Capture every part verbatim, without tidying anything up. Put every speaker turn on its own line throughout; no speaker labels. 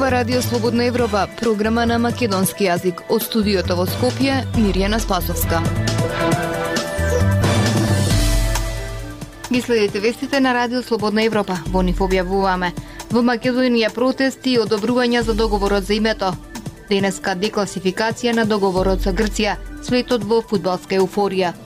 Ова Радио Слободна Европа, програма на македонски јазик. Од студиото во Скопје, Мирјана Спасовска. Ги следите вестите на Радио Слободна Европа. Во нив објавуваме: во Македонија протести и одобрувања за договорот за името. Денеска декласификација на договорот со Грција, светот во фудбалска еуфорија.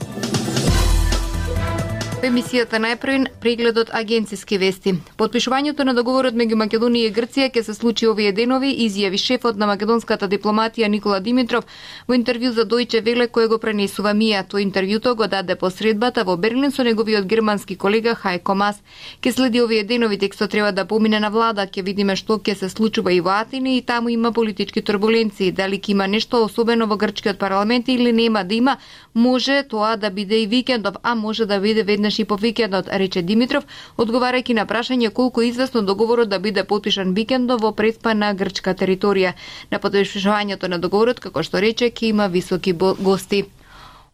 Во емисијата најпрвен прегледот агенциски вести. Подпишувањето на договорот меѓу Македонија и Грција ќе се случи овие денови, изјави шефот на македонската дипломатија Никола Димитров во интервју за Дојче Веле кој го пренесува Мија. Тој интервјуто го даде посредбата во Берлин со неговиот германски колега Хајко Мас. Ке следи овие денови, текстот треба да помине на влада, ќе видиме што ќе се случува и во Атина, и таму има политички турбуленции. Дали ќе има нешто особено во грчкиот парламент или нема да има, може тоа да биде и викендов, а може да биде веднаш и по викендот, рече Димитров, одговарајќи на прашање колку е известно договорот да биде потпишан викендов во преспа на грчка територија. На подпишувањето на договорот, како што рече, ќе има високи гости.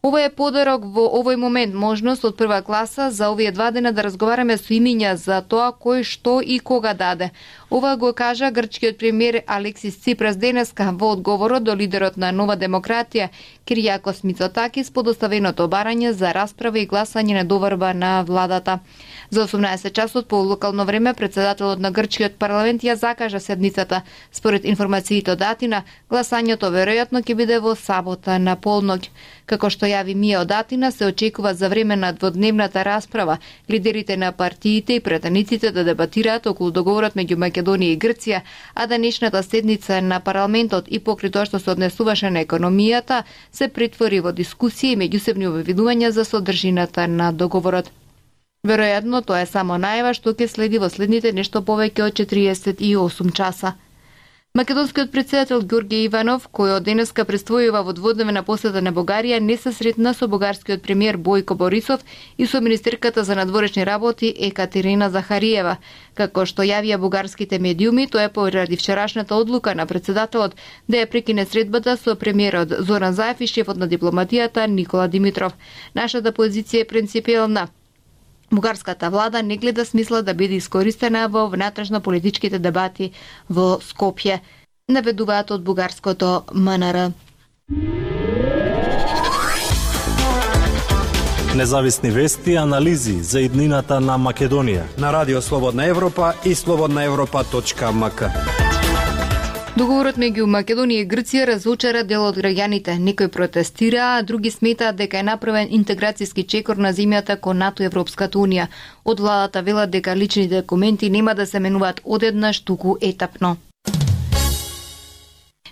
Ова е подарок во овој момент, можност од прва класа за овие два дена да разговараме со имиња за тоа кој што и кога даде. Ова го кажа грчкиот премиер Алексис Ципрас денеска во одговорот до лидерот на Нова демократија Киријакос Мицотакис по доставеното барање за расправа и гласање на доварба на владата. За осумнаесет часот по локално време председателот на грчкиот парламент ја закажа седницата. Според информациите од Атина, гласањето веројатно ќе биде во сабота на полноќ. Како што јави Мија од Атина, се очекува за време на дводневната расправа лидерите на партиите и претениците да дебатираат околу договорот меѓу Македонија и Грција, а денешната седница на парламентот и покрај тоа што се однесуваше на економијата, се претвори во дискусија и меѓусебни обвинувања за содржината на договорот. Веројатно тоа е само најава што ќе следи во следните нешто повеќе од четириесет и осум часа. Македонскиот председател Ѓорѓе Иванов, кој од денеска предстојува во дводневна посета на Бугарија, не се сретна со бугарскиот премиер Бојко Борисов и со министерката за надворешни работи Екатерина Захариева. Како што јавија бугарските медиуми, тоа е поради вчерашната одлука на председателот да ја прекине средбата со премиерот Зоран Заев и шефот на дипломатијата Никола Димитров. Нашата позиција е принципиелна. Бугарската влада не гледа смисла да биде искористена во внатрешно политичките дебати во Скопје, наведуваат од бугарското МНР.
Независни вести и анализи за иднината на Македонија
на Радио Слободна Европа и слободна европа точка ем ка.
Договорот меѓу Македонија и Грција разочара дел од граѓаните. Некои протестираа, а други сметаат дека е направен интеграцијски чекор на земјата кон НАТО и Европската унија. Од владата велат дека личните документи нема да се менуваат одеднаш, туку етапно.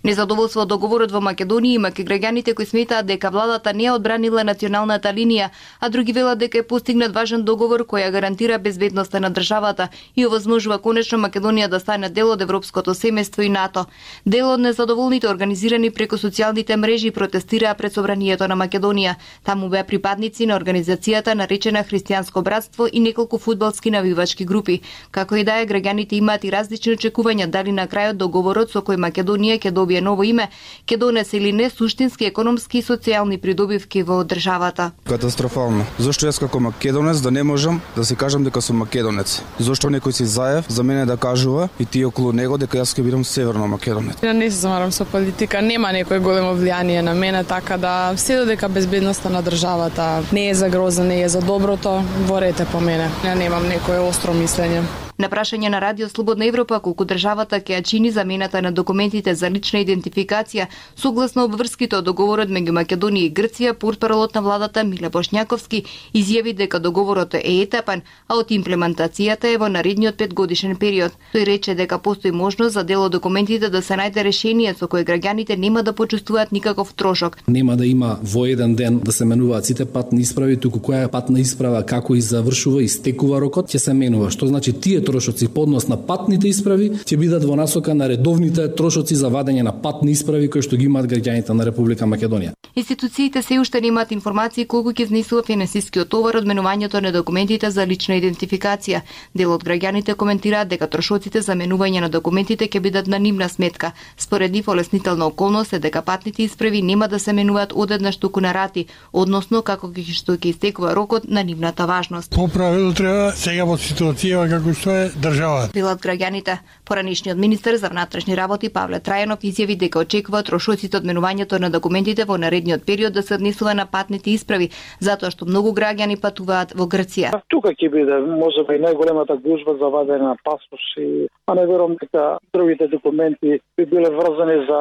Незадоволство од договорот во Македонија има кај граѓаните кои сметаат дека владата не одбранила националната линија, а други велат дека е постигнат важен договор кој ја гарантира безбедноста на државата и овозможува конечно Македонија да стане дел од европското семејство и НАТО. Дел од незадоволните организирани преку социјалните мрежи протестираа пред собранието на Македонија. Таму беа припадници на организацијата наречена Христијанско братство и неколку фудбалски навивачки групи. Како и да е, граѓаните имаат и различни очекувања дали на крајот договорот со кој Македонија ќе добие ново име ќе донесе или не суштински економски и социјални придобивки во државата.
Катастрофално. Зошто јас како македонец да не можам да се кажам дека сум македонец? Зошто некој си Заев за мене да кажува и ти околу него дека јас ќе бидам северно македонец?
Ја не се замарам со политика, нема некој големо влијание на мене, така да се додека безбедноста на државата не е за гроза, не е за доброто, ворете по мене. Ја немам некое остро мислење.
На прашање на Радио Слободна Европа колку државата ќе ја чини замената на документите за лична идентификација согласно обврските од договорот меѓу Македонија и Грција, портпаролот на владата Миле Бошњаковски изјави дека договорот е етапен, а од имплементацијата е во наредниот петгодишен период. Тој рече дека постои можност за дел од документите да се најде решение со кое граѓаните нема да почувствуваат никаков трошок.
Нема да има во еден ден да се менуваат сите патни исправи, туку која патна исправа како и завршува и стекува рокот ќе се менува, што значи тие трошоци по однос на патните исправи ќе бидат во насока на редовните трошоци за вадење на патни исправи кои што ги имаат граѓаните на Република Македонија.
Институциите се уште немаат информации колку ќе изнесува финансискиот товар од менувањето на документите за лична идентификација. Дел од граѓаните коментираат дека трошоците за менување на документите ќе бидат на нивна сметка. Според нив олеснителна околност е дека патните исправи нема да се менуваат одеднаш туку на рати, односно како што ќе истекува рокот на нивната важност.
По правило треба сега во ситуација како што е државата.
Велат граѓаните. Поранишниот министер за внатрешни работи Павле Трајанов изјави дека очекува трошоците од менувањето на документите во наредниот период да се однесува на патните исправи, затоа што многу граѓани патуваат во Грција.
Тука ќе биде можеби најголемата гужва за вадење на пасоши, а не верувам дека другите документи би биле врзани за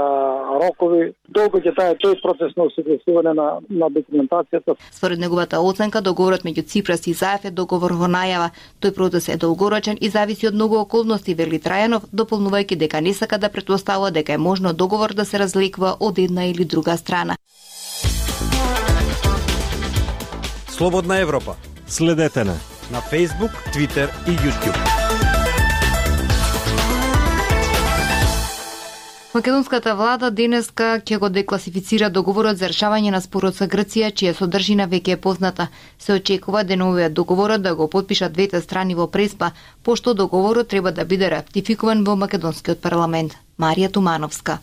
рокови. Долго ќе таа тој процес на усогласување на, на документацијата.
Според неговата оценка, договорот меѓу Ципрас и Заев е договор во најава. Тој процес е долгорочен и зависи од многу околности, вели Трајанов, дополнувајќи дека не сака да претпоставува дека е можно договор да се разликува од една или друга страна.
Слободна Европа.
Следете на
на Facebook, Twitter и YouTube.
Македонската влада денеска ќе го декласифицира договорот за решавање на спорот со Грција, чија содржина веќе е позната. Се очекува деновиот договорот да го потпишат двете страни во Преспа, пошто договорот треба да биде ратификуван во македонскиот парламент. Марија Тумановска.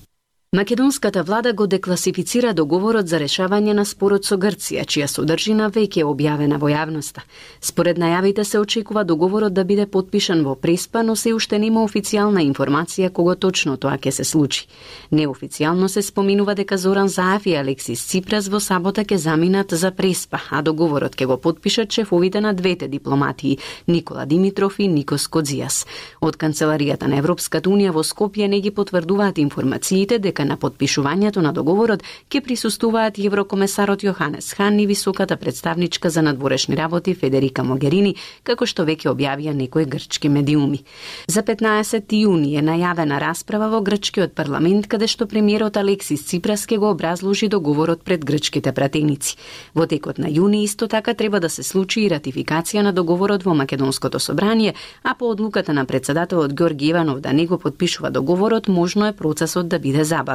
Македонската влада го декласифицира договорот за решавање на спорот со Грција, чија содржина веќе е објавена во јавноста. Според најавите се очекува договорот да биде потпишан во Преспа, но се уште нема официјална информација кога точно тоа ќе се случи. Неофицијално се споминува дека Зоран Заев и Алексис Ципрас во сабота ќе заминат за Преспа, а договорот ќе го потпишат шефовите на двете дипломатии, Никола Димитров и Никос Кодзијас. Од Канцеларијата на Европската унија во Скопје не ги потврдуваат информациите дека на потпишувањето на договорот ќе присуствуваат и еврокомесарот Јоханес Хан и високата представничка за надворешни работи Федерика Могерини, како што веќе објавија некои грчки медиуми. За петнаесети јуни е најавена расправа во грчкиот парламент, каде што премиерот Алексис Ципрас ќе го образложи договорот пред грчките пратеници. Во текот на јуни исто така треба да се случи и ратификација на договорот во Македонското собрание, а по одлуката на председателот Ѓорги Иванов да не го потпишува договорот, можно е процесот да биде забавен.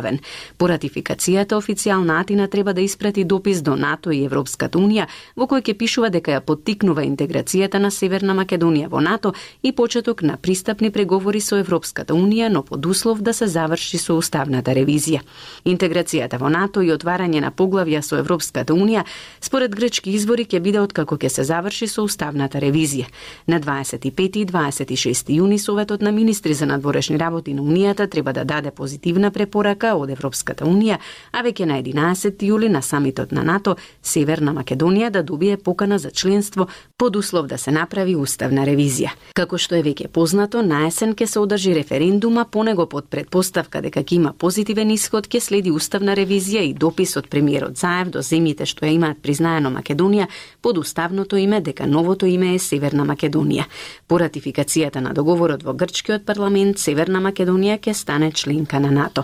По ратификацијата, официјална Атина треба да испрати допис до НАТО и Европската унија, во кој ќе пишува дека ја поттикнува интеграцијата на Северна Македонија во НАТО и почеток на пристапни преговори со Европската унија, но под услов да се заврши со уставната ревизија. Интеграцијата во НАТО и отварање на поглавја со Европската унија, според грчки извори, ќе биде откако ќе се заврши со уставната ревизија. На дваесет и пети и дваесет и шести јуни Советот на министри за надворешни работи на Унијата треба да даде позитивна препорака од Европската унија, а веќе на единаесети јули на самитот на НАТО Северна Македонија да добие покана за членство под услов да се направи уставна ревизија. Како што е веќе познато, на есен ќе се одржи референдума, по него под претпоставка дека ќе има позитивен исход ќе следи уставна ревизија и допис од премиерот Заев до земјите што ја имаат признаено Македонија под уставното име дека новото име е Северна Македонија. По ратификацијата на договорот во грчкиот парламент Северна Македонија ќе стане членка на НАТО.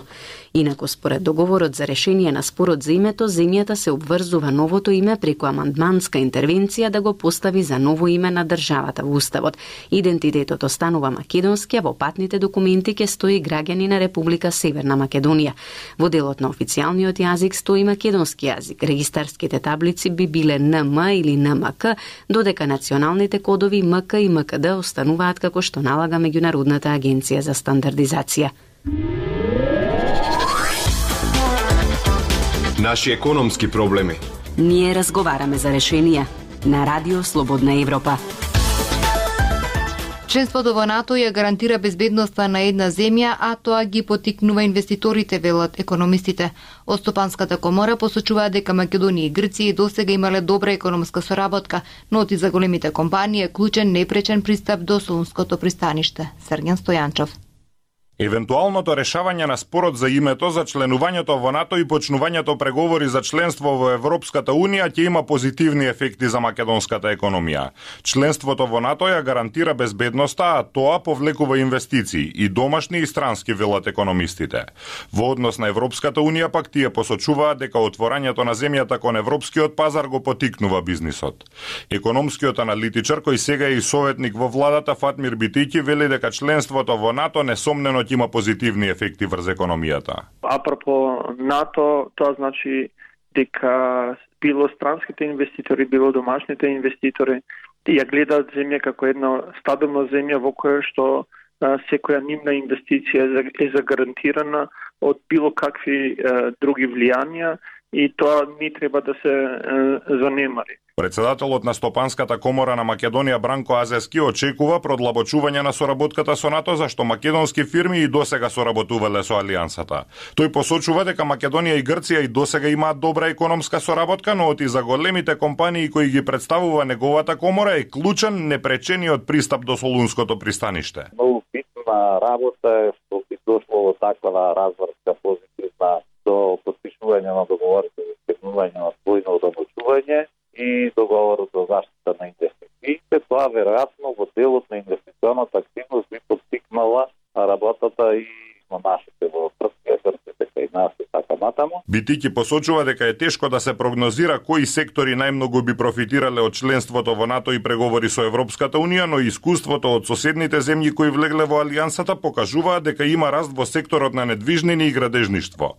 Инаку според договорот за решение на спорот за името, земјата се обврзува новото име преку амандманска интервенција да го постави за ново име на државата во уставот. Идентитетот останува македонски, а во патните документи ќе стои граѓани на Република Северна Македонија. Во делот на официјалниот јазик стои македонски јазик. Регистарските таблици би биле Н М или Н М К, додека националните кодови М К и М К Д остануваат како што налага Меѓународната агенција за стандардизација.
Наши економски проблеми.
Ние разговараме за решенија на Радио Слободна Европа.
Членството во НАТО ја гарантира безбедноста на една земја, а тоа ги поттикнува инвеститорите, велат економистите. Од Стопанската комора посочуваат дека Македонија и Грција досега имале добра економска соработка, но и за големите компании е клучен непречен пристап до Солунското пристаниште. Срѓан Стојанчов.
Евентуалното решавање на спорот за името за членувањето во НАТО и почнувањето преговори за членство во Европската унија ќе има позитивни ефекти за македонската економија. Членството во НАТО ја гарантира безбедноста, а тоа повлекува инвестиции и домашни и странски, велат економистите. Во однос на Европската унија пак тие посочуваат дека отворањето на земјата кон европскиот пазар го потикнува бизнисот. Економскиот аналитичар кој сега е и советник во владата Фатмир Битики вели дека членството во НАТО несомнено има позитивни ефекти врз економијата.
Апропо НАТО, тоа значи дека било странските инвеститори, било домашните инвеститори ја гледаат земја како една стабилна земја во која што секоја нивна инвестиција е загарантирана од било какви други влијанија и тоа не треба да се занемари.
Председателот на Стопанската комора на Македонија Бранко Азески очекува продлабочување на соработката со НАТО, зашто македонски фирми и досега соработувале со Алијансата. Тој посочува дека Македонија и Грција и досега имаат добра економска соработка, но оти за големите компании кои ги представува неговата комора е клучен непречениот пристап до Солунското пристаниште.
Многу битна работа е што би дошло до таква разврска позитивна до подпишување на договорите за избегнување на двојно одомочување и договорот за заштита на инвестициите. Тоа веројатно во делот на инвестиционата активност би поттикнала работата и на нашите во Трција, Грција, дека и нас и така натаму.
Битики посочува дека е тешко да се прогнозира кои сектори најмногу би профитирале од членството во НАТО и преговори со Европската Унија, но искуството од соседните земји кои влегле во Алијансата покажуваат дека има раст во секторот на недвижнини и градежништво.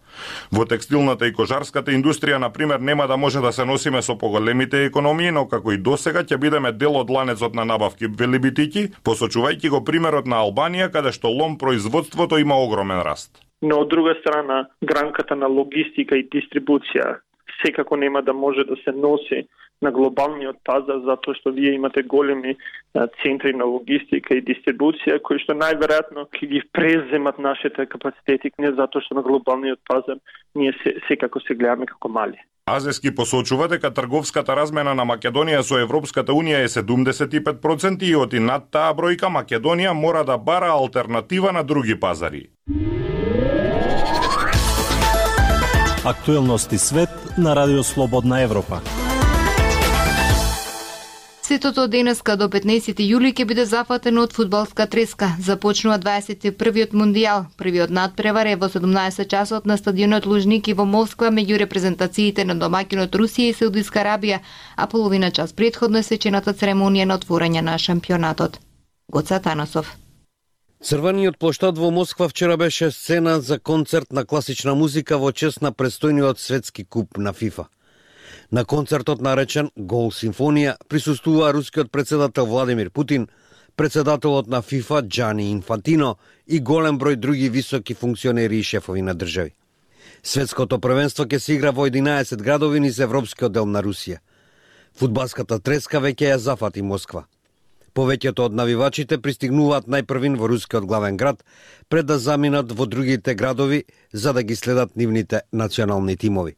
Во текстилната и кожарската индустрија, на пример, нема да може да се носиме со поголемите економии, но како и досега ќе бидеме дел од ланецот на набавки, вели Битики, посочувајќи го примерот на Албанија, каде што лом производството има огромен раст.
Но од друга страна, гранката на логистика и дистрибуција секако нема да може да се носи на глобалниот пазар, затоа што вие имате големи центри на логистика и дистрибуција кои што најверојатно ќе ги преземат нашите капацитети, не затоа што на глобалниот пазар ние се, секако се гледаме како мали.
Азески посочува дека трговската размена на Македонија со Европската Унија е седумдесет и пет проценти и оти над таа бројка Македонија мора да бара алтернатива на други пазари.
Актуелности свет на Радио Слободна Европа.
Светото денеска до петнаесети јули ќе биде зафатено од фудбалска треска. Започнува дваесет и првиот мундијал. Првиот надпревар е во седумнаесет часот на стадионот Лужники во Москва меѓу репрезентациите на домаќинот Русија и Саудитска Арабија, а половина час претходно е свечената церемонија на отворање на шампионатот. Гоца Танасов.
Црвениот плоштад во Москва вчера беше сцена за концерт на класична музика во чест на престојниот светски куп на ФИФА. На концертот наречен Гол симфонија присуствува рускиот председател Владимир Путин, председателот на ФИФА Џани Инфантино и голем број други високи функционери и шефови на држави. Светското првенство ќе се игра во единаесет градови низ европскиот дел на Русија. Фудбалската треска веќе ја зафати Москва. Повеќето од навивачите пристигнуваат најпрвин во рускиот главен град, пред да заминат во другите градови за да ги следат нивните национални тимови.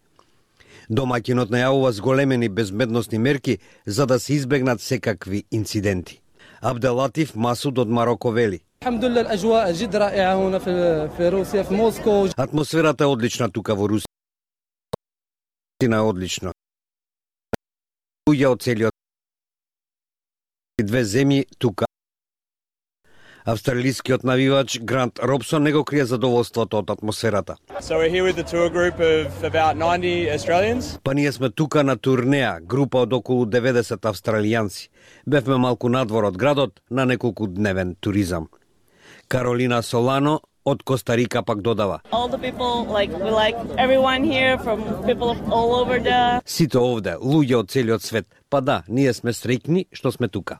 Домаќинот најавува зголемени безбедносни мерки за да се избегнат секакви инциденти. Абделатиф Масуд од Мароко вели: атмосферата е одлична тука во Русија. Е одлично. Луѓе од целиот две земји тука. Австралискиот навивач Грант Робсон не го крие задоволството од атмосферата.
So we're here with the tour group of about ninety Australians.
Па ние сме тука на турнеа, група од околу деветдесет австралијанци. Бевме малку надвор од градот на неколку дневен туризам. Каролина Солано од Коста Рика пак додава:
All the people, like, we like everyone here from people all over the...
Сите овде, луѓе од целиот свет. Па да, ние сме среќни што сме тука.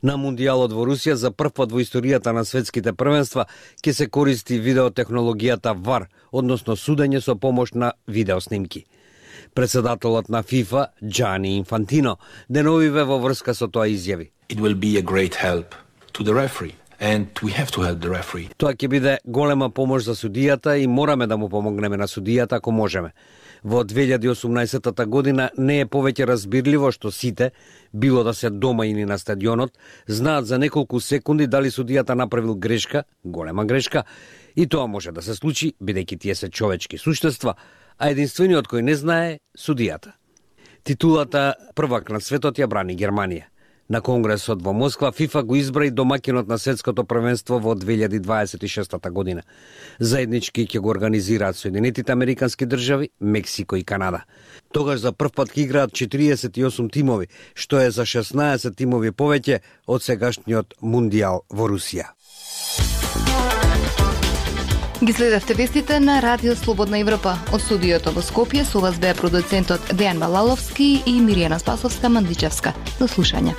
На мундијалот во Русија за прв пат во историјата на светските првенства ќе се користи видеотехнологијата вар, односно судење со помош на видеоснимки. Председателот на ФИФА Џани Инфантино деновиве во врска со тоа изјави:
It will be a great help to the referee. And we have to help the referee.
Тоа ќе биде голема помош за судијата и мораме да му помогнеме на судијата ако можеме. Во две илјади и осумнаесета година не е повеќе разбирливо што сите, било да се дома или на стадионот, знаат за неколку секунди дали судијата направил грешка, голема грешка, и тоа може да се случи бидејќи тие се човечки суштества, а единствениот кој не знае судијата. Титулата првак на светот ја брани Германија. На конгресот во Москва ФИФА го избра и домаќинот на светското првенство во две илјади дваесет и шеста година. Заеднички ќе го организираат Соединетите Американски држави, Мексико и Канада. Тогаш за прв пат ќе играат четириесет и осум тимови, што е за шеснаесет тимови повеќе од сегашниот мундијал во Русија.
Ги следевте вестите на Радио Слободна Европа. Од студиото во Скопје со вас беа продуцентот Дејан Балаловски и Миријана Спасовска-Мандичевска. До слушање.